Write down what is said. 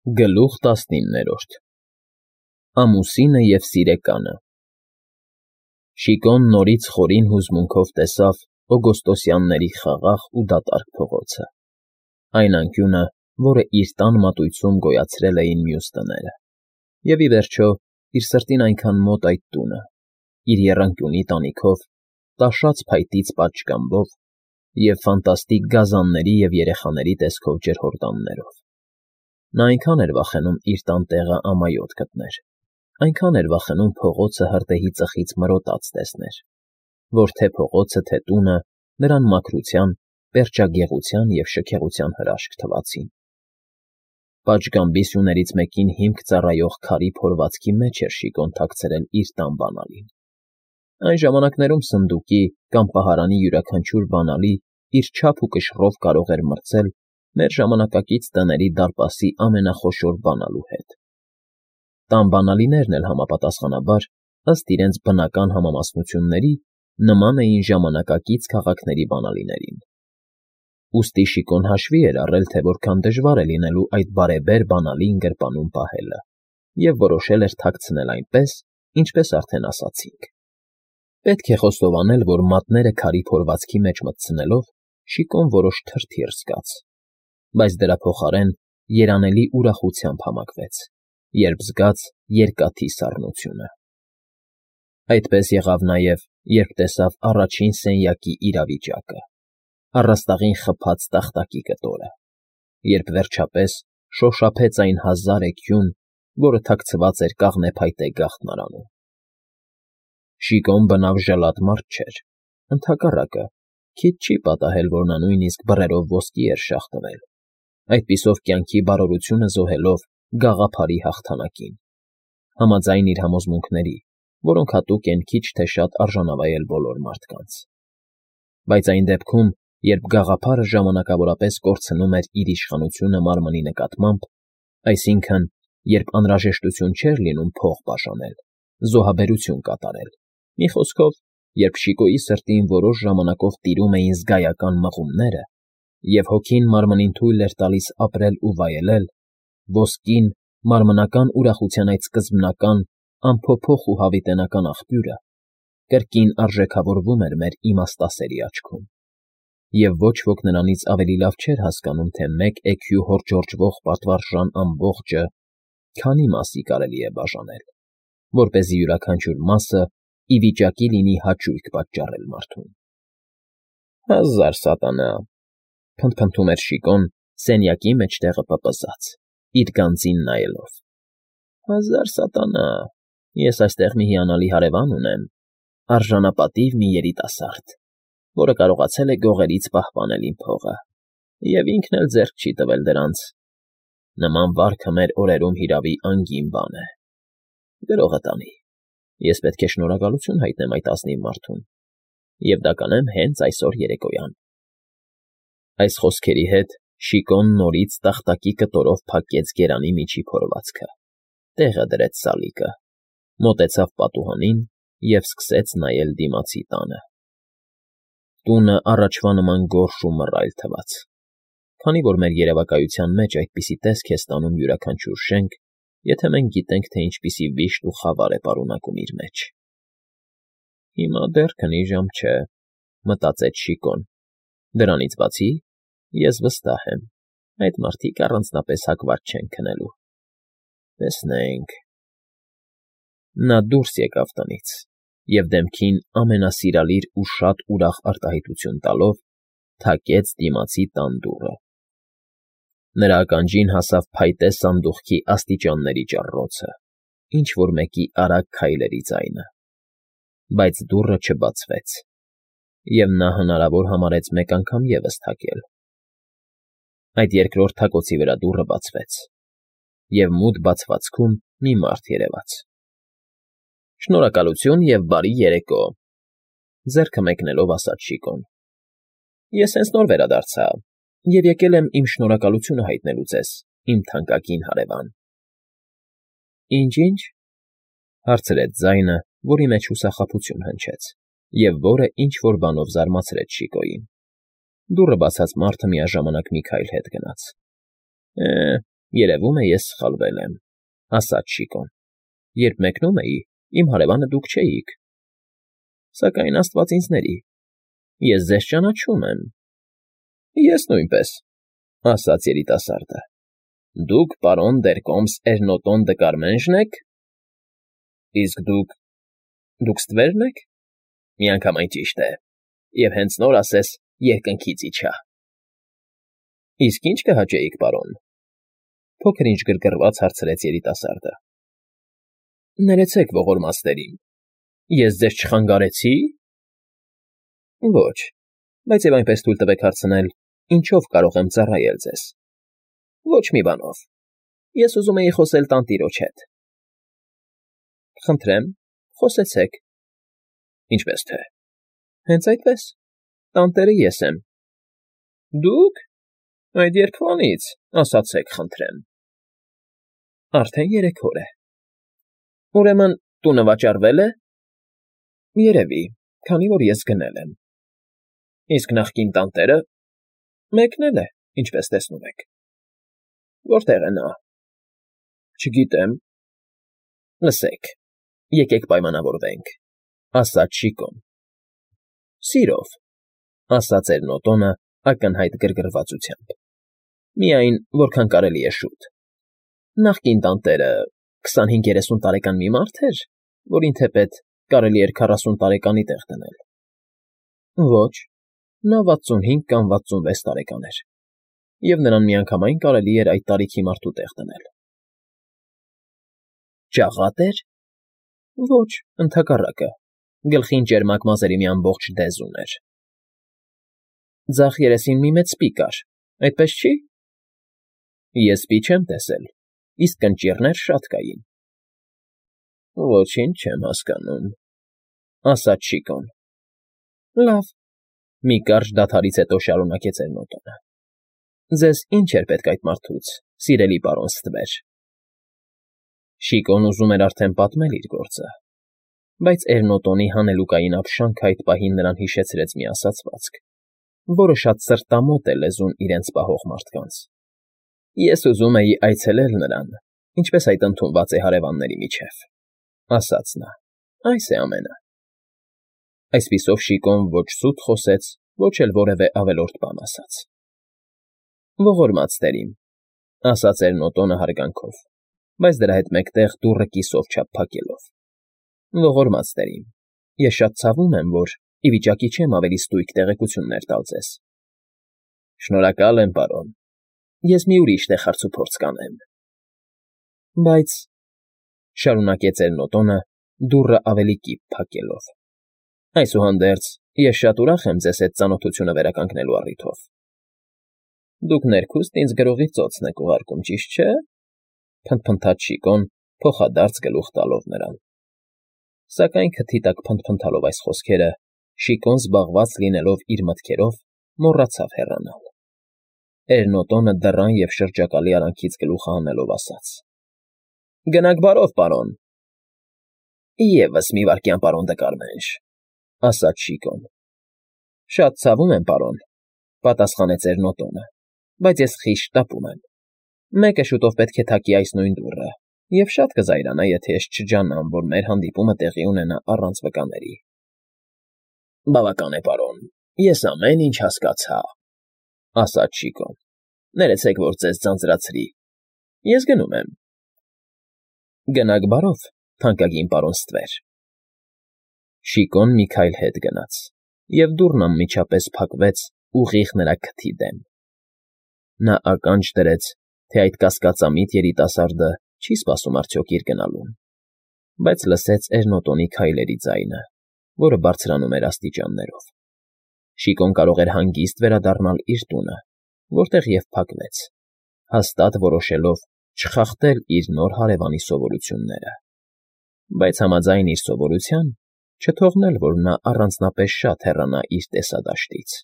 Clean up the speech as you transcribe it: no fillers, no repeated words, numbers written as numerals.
Գլուխ 19 Ամուսինը և սիրեկանը Շիկոն նորից խորին հուզմունքով տեսավ օգոստոսյանների խաղաղ ու դատարկ փողոցը, այն անկյունը, որը իր տան մատույցում գոյացրել էին մյուս տները, և, ի վերջո, իր սրտին այնքան մոտ այդ տունը, իր եռանկյունի տանիքով, տաշած փայտից պատշգամբով և ֆանտաստիկ գազանների և երեխաների տեսքով ջրհորդաններով. նա այնքան էր վախենում իր տան տեղը ամայոտ գտներ, այնքան էր վախենում փողոցը հրդեհի ծխից մրոտած տեսներ, որ թե փողոցը, թե տունը նրան մաքրության, պերճագեղության և շքեղության հրաշք թվացին. պատշգամբի սյուներից մեկին հիմք ծառայող քարի փորվածքի մեջ էր Շիկոն թաքցրել իր տան բանալին. այն ժամանակներում սնդուկի կամ պահարանի յուրաքանչյուր բանալի իր չափ ու կշռով կարող էր մրցել մեր ժամանակակից տների դարպասի ամենախոշոր բանալու հետ. տան բանալիներն էլ համապատասխանաբար, ըստ իրենց բնական համամասնությունների, նման էին ժամանակակից քաղաքների բանալիներին. ուստի Շիկոն հաշվի էր առել, թե որքան դժվար է լինելու այդ բարեբեր բանալին գրպանում պահելը, և որոշել էր թաքցնել այնպես, ինչպես արդեն ասացինք. պետք է խոստովանել, որ մատները քարի փորվածքի մեջ մտցնելով Շիկոն որոշ թրթիռ զգաց, բայց դրա փոխարեն երանելի ուրախությամբ համակվեց, երբ զգաց երկաթի սառնությունը. այդպես եղավ նաև, երբ տեսավ առաջին սենյակի իրավիճակը, առաստաղին խփած տախտակի կտորը, երբ, վերջապես, շոշափեց այն հազար էգյուն, որը թաքցված էր կաղնեփայտե գաղտնարանում. Շիկոն բնավ ժլատ մարդ չէր, ընդհակառակը, քիչ չի պատահել, որ նա նույնիսկ բռերով ոսկի էր շաղ տվել, այդպիսով կյանքի բարօրությունը զոհելով գաղափարի հաղթանակին, համաձայն իր համոզմունքների, որոնք հատուկ են քիչ թե շատ արժանավայել բոլոր մարդկանց. բայց այն դեպքում, երբ գաղափարը ժամանակավորապես կորցնում էր իր իշխանությունը մարմնի նկատմամբ, այսինքն, երբ անհրաժեշտություն չէր լինում փող բաժանել, զոհաբերություն կատարել, մի խոսքով, երբ Շիկոյի սրտին որոշ ժամանակով տիրում էին զգայական մղումները, և հոգին մարմնին թույլ էր տալիս ապրել ու վայելել, ոսկին, մարմնական ուրախության այդ սկզբնական, անփոփոխ ու հավիտենական աղբյուրը, կրկին արժեքավորվում էր մեր իմաստասերի աչքում, և ոչ ոք նրանից ավելի լավ չէր հասկանում, թե մեկ էգյու հորջորջվող պատվարժան ամբողջը քանի մասի կարելի է բաժանել, որպեսզի յուրաքանչյուր մասը ի վիճակի լինի հաճույք պատճառել մարդուն։ «Հազար սատանա», փնթփնթում էր Շիկոն սենյակի մեջտեղը պպզած, իր գանձին նայելով. «հազար սատանա, ես այստեղ մի հիանալի հարևան ունեմ, արժանապատիվ մի երիտասարդ, որը կարողացել է գողերից պահպանել իմ փողը, և ինքն էլ ձեռք չի տվել դրանց. նման վարքը մեր օրերում հիրավի անգին բան է. գրողը տանի, ես պետք է շնորհակալություն հայտնեմ այդ ազնիվ մարդուն, և դա կանեմ հենց այսօր երեկոյան»։ Այս խոսքերի հետ Շիկոն նորից տախտակի կտորով փակեց գերանի միջի փորվածքը, տեղը դրեց սալիկը, մոտեցավ պատուհանին և սկսեց նայել դիմացի տանը. տունը առաջվա նման գորշ ու մռայլ թվաց, քանի որ մեր երևակայության մեջ այդպիսի տեսք է ստանում յուրաքանչյուր շենք, եթե մենք գիտենք, թե ինչպիսի վիշտ ու խավար է պարունակում իր մեջ։ «Հիմա դեռ քնի ժամ չէ», մտածեց Շիկոն, «դրանից բացի, ես վստահ եմ, այդ մարդիկ առանձնապես հակված չեն քնելու։ Տեսնենք»։ Նա դուրս եկավ տնից և դեմքին ամենասիրալիր ու շատ ուրախ արտահայտություն տալով թակեց դիմացի տան դուռը. նրա ականջին հասավ փայտե սանդուղքի աստիճանների ճառռոցը, ինչ֊որ մեկի արագ քայլերի ձայնը, բայց դուռը չբացվեց, և նա հնարավոր համարեց մեկ անգամ ևս թակել. այդ երկրորդ թակոցի վրա դուռը բացվեց, և մութ բացվածքում մի մարդ երևաց։ «Շնորհակալություն և բարի երեկո», ձեռքը մեկնելով ասաց Շիկոն. «Ես հենց նոր վերադարձա և եկել եմ իմ շնորհակալությունը հայտնելու ձեզ, իմ թանկագին հարևան»։ «Ինչ»։ Հարցրեց ձայնը, որի մեջ հուսախաբություն հնչեց, և որը ինչ֊որ բանով զարմացրեց Շիկոյին. դուռը բացած մարդը միաժամանակ մի քայլ հետ գնաց։ Երևում է, ես սխալվել եմ, ասաց Շիկոն։ Երբ մեկնում էի, իմ հարևանը դուք չէիք։ Սակայն աստված ինձ ների, ես ձեզ ճանաչում եմ։ Ես նույնպես, ասաց երիտասարդը։ Դուք պարոն Դերկոմս Էրնոտոն դը Կարմենժն եք։ Իսկ դուք ստվերն եք։ Միանգամայն ճիշտ է, և հենց նոր ասես երկնքից իջա։ Իսկ ի՞նչ կհաճեիք, պարոն։ Փոքր-ինչ գրգռված հարցրեց երիտասարդը։ Ներեցեք ողորմածներին, ես ձեզ չխանգարեցի։ Ոչ, բայց և այնպես թույլ տվեք հարցնել, ինչով կարող եմ ծառայել ձեզ։ Ոչ մի բանով։ Ես ուզում էի խոսել տանտիրոջ հետ։ Խնդրեմ, խոսեցեք։ Ինչպես թե։ Հենց այդպես։ Տանտերը ես եմ։ Դուք։ Այդ երբվանից, ասացեք, խնդրեմ։ Արդեն 3 օր է։ Ուրեմն տունը վաճառվել է։ Երևի, քանի որ ես գնել եմ։ Իսկ նախկին տանտերը մեկնել է, ինչպես տեսնում եք։ Որտեղ է նա։ Չգիտեմ։ Լսեք, եկեք պայմանավորվենք, ասաց Շիկոն։ Սիրով, ասաց Էրնոտոնը ակնհայտ գրգռվածությամբ։ Միայն որքան կարելի է շուտ։ Նախկին տանտերը 25-30 տարեկան մի մարդ էր, որին թեպետ կարելի էր 40 տարեկանի տեղ դնել։ Ոչ, նա 65 կամ 66 տարեկան էր, և նրան միանգամայն կարելի էր այդ տարիքի մարդու տեղ դնել։ Ճաղա՞տ էր։ Ոչ, ընդհակառակը, գլխին ճերմակ մազերի մի ամբողջ դեզ ուներ։ Ձախ երեսին մի մեծ սպի կար, այդպես չի։ Ես սպի չեմ տեսել, իսկ կնճիռներ շատ կային։ Ոչինչ չեմ հասկանում, ասաց Շիկոն։ Լավ, մի կարճ դադարից հետո շարունակեց Էրնոտոնը։ Ձեզ ինչ էր պետք այդ մարդուց, սիրելի պարոն Ստվեր։ Շիկոն ուզում էր արդեն պատմել իր գործը, բայց Էրնոտոնի հանելուկային ապշանքը այդ պահին նրան հիշեցրեց մի ասացվածք, որը շատ սրտամոտ է լեզուն իրենց պահող մարդկանց։ Ես ուզում էի այցելել նրան, ինչպես այդ ընդունված է հարևանների միջև, ասաց նա, այս է ամենը։ Այսպիսով Շիկոն ոչ սուտ խոսեց, ոչ էլ որևէ ավելորդ բան ասաց։ Ողորմած տերին, ասաց Էրնոտոնը հարգանքով, բայց դրա հետ մեկտեղ դուռը կիսով չափ փակելով։ Ողորմած տերին, ես շատ ցավում եմ, որ ի վիճակի չեմ ավելի ստույգ տեղեկություններ տալ ձեզ։ Շնորհակալ եմ, պարոն։ Ես մի ուրիշ տեղ հարցուփորձ կանեմ։ Բայց, շարունակեց Էրնոտոնը, դուռը ավելի կիպ փակելով։ Այսուհանդերձ, ես շատ ուրախ եմ ձեզ հետ ծանոթությունը վերականգնելու առիթով։ Դուք ներքուստ ինձ գրողի ծոցն եք ուղարկում, ճիշտ չէ։ Փնթփնթաց Շիկոն, փոխադարձ գլուխ տալով նրան։ Սակայն քթի տակ փնթփնթալով այս խոսքերը, Շիկոն զբաղված լինելով իր մտքերով, մոռացավ հեռանալ։ Էրնոտոնը դռան և շրջակալի արանքից գլուխը հանելով ասաց. Գնաք բարով, պարոն։ Եվս մի վայրկյան, պարոն դը Կարմենժ, ասաց Շիկոն։ Շատ ցավում եմ, պարոն, պատասխանեց Էրնոտոնը, բայց ես խիստ շտապում եմ։ Մեկը շուտով պետք է թակի այս նույն դուռը, և շատ կզայրանա, եթե ես չջանամ, որ մեր հանդիպումը տեղի ունենա առանց վկաների։ Բավական է, պարոն, ես ամեն ինչ հասկացա, ասաց Շիկոն։ Ներեցեք, որ ձեզ ձանձրացրի։ Ես գնում եմ։ Գնաք բարով, թանկագին պարոն Ստվեր։ Շիկոն մի քայլ հետ գնաց, և դուռն անմիջապես փակվեց ուղիղ նրա քթի դեմ։ Նա ականջ դրեց, թե այդ կասկածամիտ երիտասարդը չի սպասում արդյոք իր գնալուն, բայց լսեց Էրնոտոնի քայլերի ձայնը, որը բարձրանում էր աստիճաններով։ Շիկոն կարող էր հանգիստ վերադառնալ իր տունը, որտեղ և փակվեց, հաստատ որոշելով չխախտել իր նոր հարևանի սովորությունները, բայց համաձայն իր սովորության չթողնել, որ նա առանձնապես շատ հեռանա իր տեսադաշտից։